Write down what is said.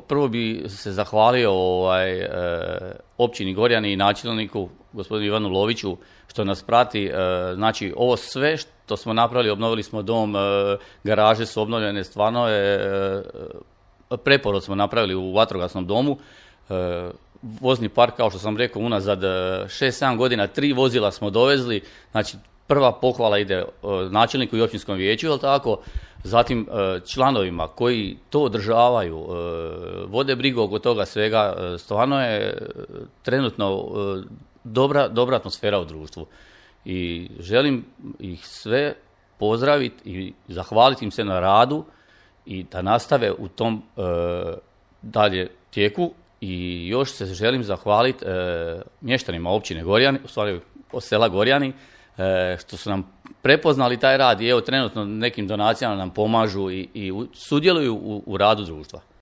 Prvo bi se zahvalio općini Gorjani i načelniku, gospodinu Ivanu Loviću, što nas prati. Znači, ovo sve što smo napravili, obnovili smo dom, garaže su obnovljene, stvarno je preporod smo napravili u vatrogasnom domu. Vozni park, kao što sam rekao, unazad 6-7 godina 3 vozila smo dovezli. Znači, prva pohvala ide načelniku i općinskom vijeću, jel tako? Zatim članovima koji to održavaju, vode brigu oko toga svega, stvarno je trenutno dobra atmosfera u društvu. I želim ih sve pozdraviti i zahvaliti im se na radu i da nastave u tom dalje tijeku. I još se želim zahvaliti mještanima općine Gorjani, u stvari sela Gorjani, što su nam prepoznali taj rad i evo trenutno nekim donacijama nam pomažu i sudjeluju u radu društva.